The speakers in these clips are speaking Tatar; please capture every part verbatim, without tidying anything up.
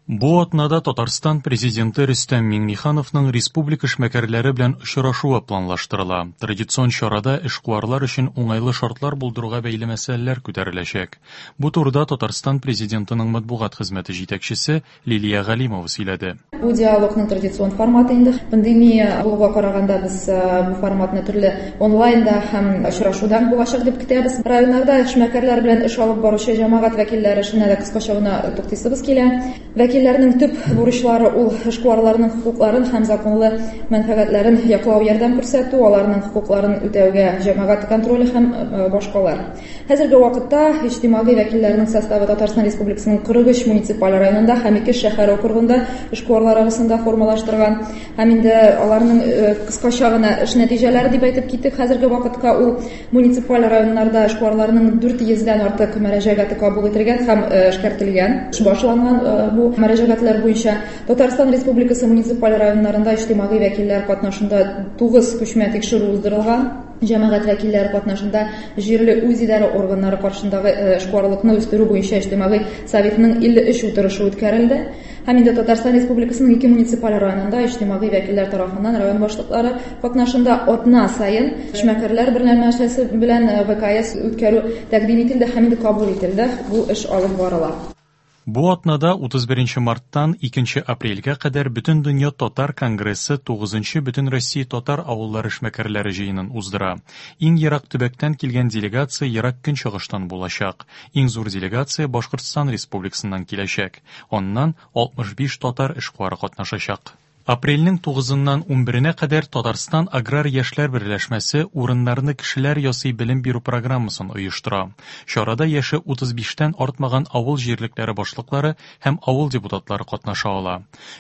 Бу атнада Татарстан президенты Рөстәм Миңнехановның республика эшмәкәрләре белән очрашуы планлаштырыла. Традицион чарада эшкуарлар өчен уңайлы шартлар булдыруга бәйле мәсьәләләр күтәреләчәк. Бу турыда Татарстан президентының матбугат хезмәте җитәкчесе Лилия Галимова сөйләде. Бу диалогның традицион форматы инде. Пандемия булуга караганда без бу форматны төрле онлайнда һәм очрашудан булачак дип көтәбез. Районнарда эшмәкәрләр белән эш алып баручы җәмәгать вәкилләре эшенә дә кыскача гына туктыйсыбыз килә. Вәкилләрнең төп бурычлары ул эшкуарларның хокукларын һәм законлы мәнфәгатьләрен яклау, ярдәм күрсәтү, аларның хокукларын үтәүгә җәмәгать контроле һәм башкалар. Хәзерге вакытта иҗтимагый вәкилләрнең составы Татарстан Республикасының кырык өч муниципаль районында һәм ике шәһәр округында эшкуарлар арасында формалаштырган. Һәм инде аларның кыскача гына эш нәтиҗәләре дип әйтеп киттек. Хәзерге вакытка ул муниципаль районнарда эшкуарларның дүрт йөздән артык мөрәҗәгате кабул ителгән һәм эшкәртелгән. Башланган бу мөрәҗәгатьләр буенча Татарстан Республикасы муниципаль районнарында иҗтимагый вәкилләр катнашында тугыз күчмә тикшерү уздырылган. Җәмәгать вәкилләре катнашында җирле үзидарә органнары каршындагы эшкуарлыкны үстерү буенча иҗтимагый советның илле өч утырышы үткәрелде. Һәм инде Татарстан Республикасының ике муниципаль районында иҗтимагый вәкилләр тарафыннан район башлыклары катнашында атна саен эшмәкәрләр берләшмәсе белән вэ ка эс үткәрү тәкъдим ителде һәм инде кабул ителде. Бу эш алып барыла. Бу атнада утыз беренче марттан икенче апрельгә кадәр Бөтендөнья татар конгрессы тугызынчы Бөтенроссия татар авыллары эшмәкәрләре җыенын уздыра. Иң ерак төбәктән килгән делегация ерак көнчыгыштан булачак. Иң зур делегация Башкортстан Республикасыннан киләчәк. Аннан алтмыш биш татар эшкуары катнашачак. Апрельнең тугызыннан унберенә кадәр Татарстан Аграр яшьләр берләшмәсе урыннарны кешеләр ясый белем бирү программасын оештыра. Чарада яше утыз биштән артмаган авыл җирлекләре башлыклары һәм авыл депутатлары катнаша ала.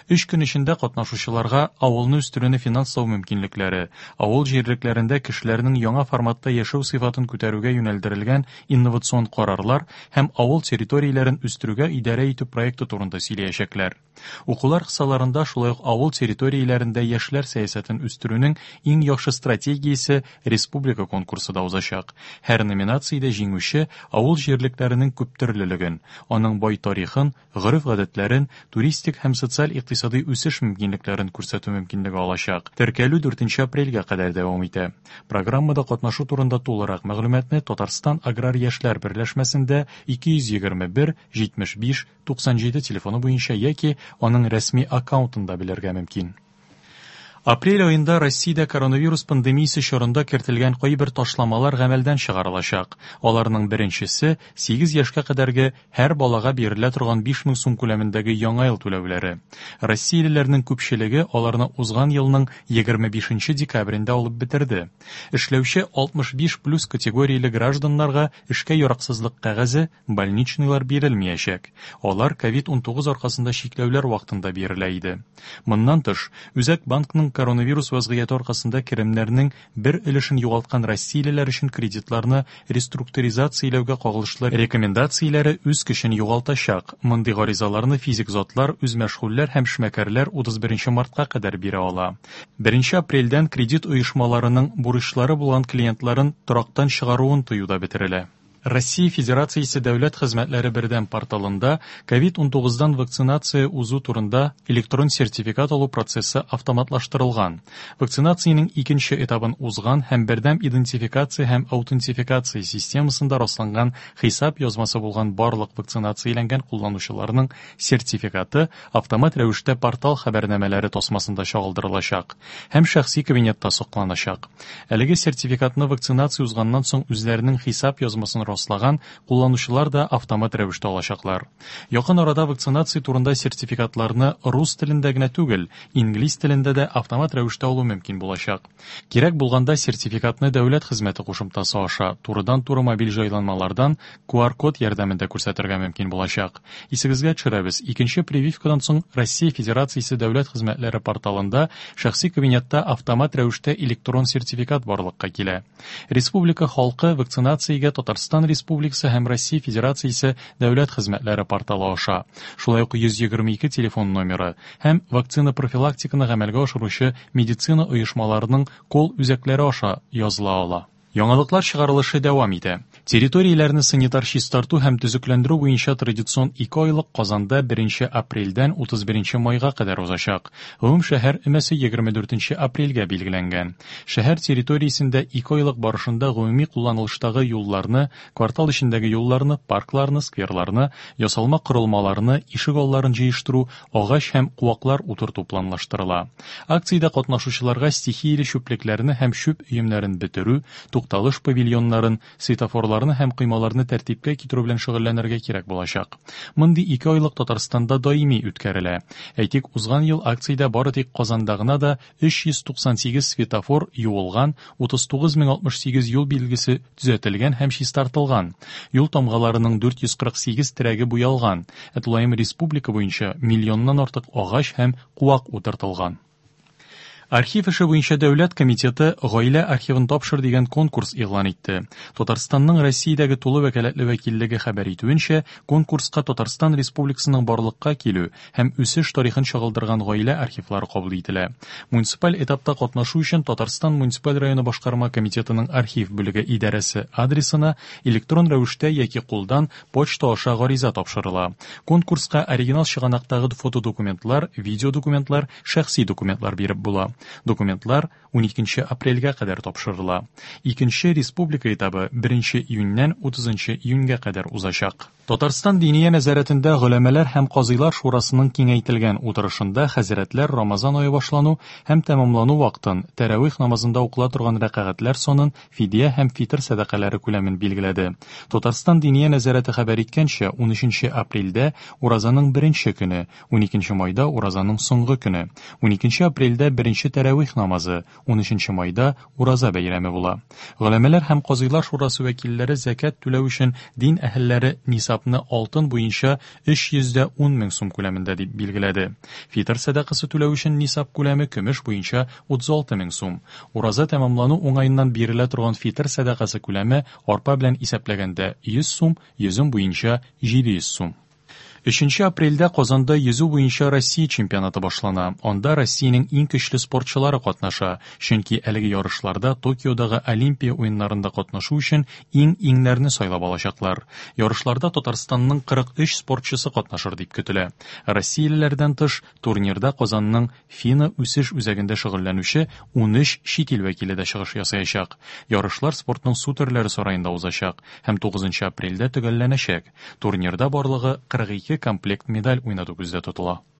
Өч көн эчендә катнашучыларга авылны үстерүне финанслау мөмкинлекләре, авыл җирлекләрендә кешеләрнең яңа форматта яшәү сыйфатын күтәрүгә юнәлдерелгән инновацион карарлар һәм авыл территорияләрен үстерүгә идарә итү проекты турында сөйләячәкләр. Укулар кысаларында шулай ук авыл территорияләрендә яшьләр сәясәтен үстерүнең иң яхшы стратегиясе республика конкурсы да узачак. Һәр номинациядә җиңүче авыл җирлекләренең күптөрлелеген, аның бай тарихын, гореф-гадәтләрен, туристик һәм социаль-икътисади үсеш мөмкинлекләрен күрсәтү мөмкинлеге алачак. Теркәлү дүртенче апрельгә кадәр дәвам итә. Программада катнашу турында тулырак мәгълүматны Татарстан Аграр яшьләр берләшмәсендә ике йөз егерме бер җитмеш биш туксан җиде телефоны буенча яки аның рәсми аккаунтында белергә мөмкин. Апрель аенда Россиядә коронавирус пандемиясе чорында кертелгән кайбер ташламалар гамәлдән чыгарылачак. Аларның беренчесе сигез яшькә кадәрге һәр балага бирелә торган биш мең сум күләмендәге яңа ел түләүләре. Россиялеләрнең күпчелеге аларны узган елның егерме бишенче декабрендә алып бетерде. Эшләүче алтмыш биш плюс категорияле гражданнарга эшкә яраксызлык кәгазе, больничныйлар бирелмәячәк. Алар ковид унтугыз аркасында чикләүләр вакытында бирелә иде. Моннан тыш, Үзәк банкның коронавирус вазгыяте аркасында керемнәрнең бер өлешен югалткан россиялеләр өчен кредитларны реструктуризацияләүгә кагылышлы рекомендацияләре үз көчен югалтачак. Мондый гаризаларны физик затлар, үзмәшгульләр һәм эшмәкәрләр утыз беренче мартка кадәр бирә ала. Беренче апрельдән кредит оешмаларының бурычлары булган клиентларын торактан чыгаруын тыю да бетерелә. Россия Федерациясе дәүләт хезмәтләре бердәм порталында ковид унтугыздан вакцинация узу турында электрон сертификат алу процессы автоматлаштырылган. Вакцинациянең икенче этабын узган һәм бердәм идентификация һәм аутентификация системасында расланган хисап язмасы булган барлык вакцинацияләнгән кулланучыларның сертификаты автомат рәвештә портал хәбәрнамәләре тасмасында чагылдырылачак һәм шәхси кабинетта сакланачак. Әлеге сертификатны вакцинация узганнан соң үзләренең хисап язмасын раслаган кулланучылар да автомат рәвештә алачаклар. Якын арада вакцинация турында сертификатларны рус телендә генә түгел, инглиз телендә дә автомат рәвештә алу мөмкин булачак. Кирәк булганда сертификатны дәүләт хезмәте кушымтасы аша турыдан-туры мобиль җайланмалардан ку ар код ярдәмендә күрсәтергә мөмкин булачак. Исегезгә төшерәбез, икенче прививкадан соң Россия Федерациясе дәүләт хезмәтләре порталында шәхси кабинетта автомат рәвештә электрон сертификат барлыкка килә. Республика халкы вакцинациягә Татарстан Республикасы һәм Россия Федерациясе дәүләт хезмәтләре порталы аша, шулай ук йөз егерме ике телефон номеры һәм вакцина профилактиканы гамәлгә ашыручы медицина оешмаларының кол үзәкләре аша языла ала. Яңалыклар чыгарылышы дәвам итә. Территорияләрне санитар чистарту һәм төзекләндерү буенча традицион ике айлык Казанда беренче апрельдән утыз беренче майга кадәр узачак. Гомум шәһәр өмәсе егерме дүртенче апрельгә билгеләнгән. Шәһәр территориясендә ике айлык барышында гомуми кулланылыштагы юлларны, квартал эчендәге юлларны, паркларны, скверларны, ясалма корылмаларны, ишек алларын җыештыру, агач һәм куаклар утырту планлаштырыла. Акциядә катнашучыларга стихияле чүплекләрне һәм чүп өемнәрен бетерү, тукталыш павильоннарын, светофорларны һәм коймаларны тәртипкә китерү белән шөгыльләнергә кирәк булачак. Мондый ике айлык Татарстанда даими үткәрелә. Әйтик, узган ел акциядә бары тик Казанда гына да өч йөз туксан сигез светофор юылган, утыз тугыз мең алтмыш сигез юл билгесе төзәтелгән һәм чистартылган. Юл тамгаларының дүрт йөз кырык сигез терәге буялган. Ә тулаем республика буенча миллионнан артык агач һәм куак утыртылган. Архив эше буенча дәүләт комитеты гаилә архивын тапшыр дигән конкурс игълан итте. Татарстанның Россиядәге тулы вәкаләтле вәкиллеге хәбәр итүенчә, конкурска Татарстан Республикасының барлыкка килү һәм үсеш тарихын чагылдырган гаилә архивлары кабул ителә. Муниципаль этапта катнашу өчен Татарстан муниципаль районы башкарма комитетының архив бүлеге идарәсе адресына электрон рәвештә яки кулдан почта аша гариза тапшырыла. Конкурска оригинал чыганактагы фотодокументлар, видеодокументлар, шәхси документлар биреп була. Документлар уникенче апрельгә кадәр тапшырыла. Икенче республика этабы беренче июньнән утызынчы июньгә кадәр узачак. Татарстан Диния нәзарәтендә голәмәләр һәм казыйлар шурасының киңәйтелгән утырышында хәзрәтләр Рамазан ае башлану һәм тәмамлану вакытын, тәравих намазында укыла торган рәкәгатьләр санын, фидия һәм фитр сәдакалары күләмен билгеләде. Татарстан Диния нәзарәте хәбәр иткәнчә, унөченче апрельдә уразаның беренче көне, уникенче майда уразаның соңгы көне, уникенче апрельдә беренче тәравих намазы, унөченче майда ураза бәйрәме була. Голәмәләр һәм казыйлар шурасы вәкилләре зәкят түләү өчен дин әһелләре нисабны алтын буенча өч йөз дә ун мең сум күләмендә дип билгеләде. Фитр сәдакасы түләү өчен нисаб күләме көмеш буенча утыз алты мең сум. Ураза тәмамлану уңаеннан бирелә торган фитр сәдакасы күләме арпа белән исәпләгәндә йөз сум, йөзем буенча җиде йөз сум. Өченче апрельдә Казанда йөзү буенча Россия чемпионаты башлана. Анда Россиянең иң көчле спортчылары катнаша, чөнки әлеге ярышларда Токиодагы Олимпия уеннарында катнашу өчен иң-иңнәрне сайлап алачаклар. Ярышларда Татарстанның кырык өч спортчысы катнашыр дип көтелә. Россиялеләрдән тыш, турнирда Казанның ФИНА үсеш үзәгендә шөгыльләнүче унөч чит ил вәкиле дә чыгыш ясаячак. Ярышлар спортның су төрләре сараенда узачак һәм тугызынчы апрельдә төгәлләнәчәк. Турнирда барлыгы кырык ике комплект медаль уйнату күздә тотыла.